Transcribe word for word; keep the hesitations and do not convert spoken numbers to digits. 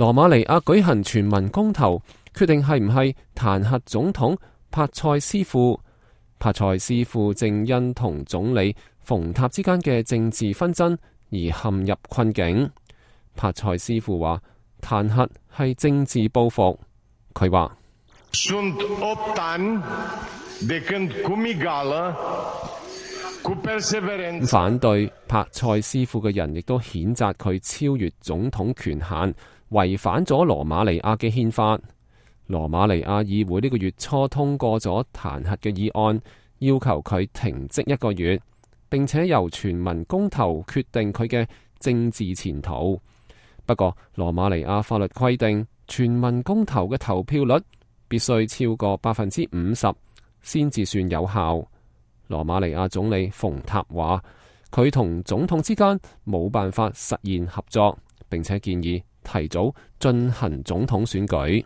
羅馬尼亞舉行全民公投，決定係唔係彈劾總統帕塞斯庫。帕塞斯庫正因同總理馮塔之間嘅政治紛爭而陷入困境。帕塞斯庫話彈劾係政治報復。佢話反對帕塞斯庫嘅人亦都譴責佢超越總統權限，違反咗羅馬尼亞嘅憲法。羅馬尼亞議會呢個月初通過咗彈劾嘅議案，要求佢停職一個月，並且由全民公投決定佢嘅政治前途。不過，羅馬尼亞法律規定，全民公投嘅投票率必須超過百分之五十先至算有效。羅馬尼亞總理馮塔話，佢同總統之間冇辦法實現合作，並且建議提早進行總統選舉。